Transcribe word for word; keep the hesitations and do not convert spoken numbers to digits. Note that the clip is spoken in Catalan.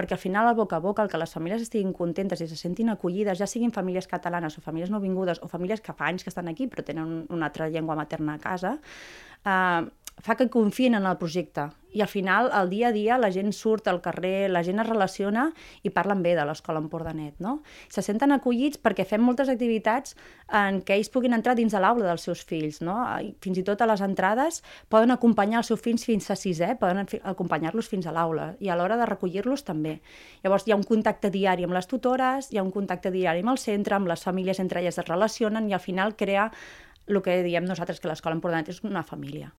perquè al final el boca a boca, el que les famílies estiguin contentes i se sentin acollides, ja siguin famílies catalanes o famílies nouvingudes o famílies que fa anys que estan aquí però tenen una altra llengua materna a casa, eh, fa que confiïn en el projecte. I al final, al dia a dia, la gent surt al carrer, la gent es relaciona i parlen bé de l'Escola Empordanet, no? Se senten acollits perquè fem moltes activitats en què ells puguin entrar dins de l'aula dels seus fills, no? Fins i tot a les entrades poden acompanyar els seus fills fins a sisè, poden acompanyar-los fins a l'aula, i a l'hora de recollir-los també. Llavors hi ha un contacte diari amb les tutores, hi ha un contacte diari amb el centre, amb les famílies entre elles es relacionen i al final crea el que diem nosaltres, que l'Escola Empordanet és una família.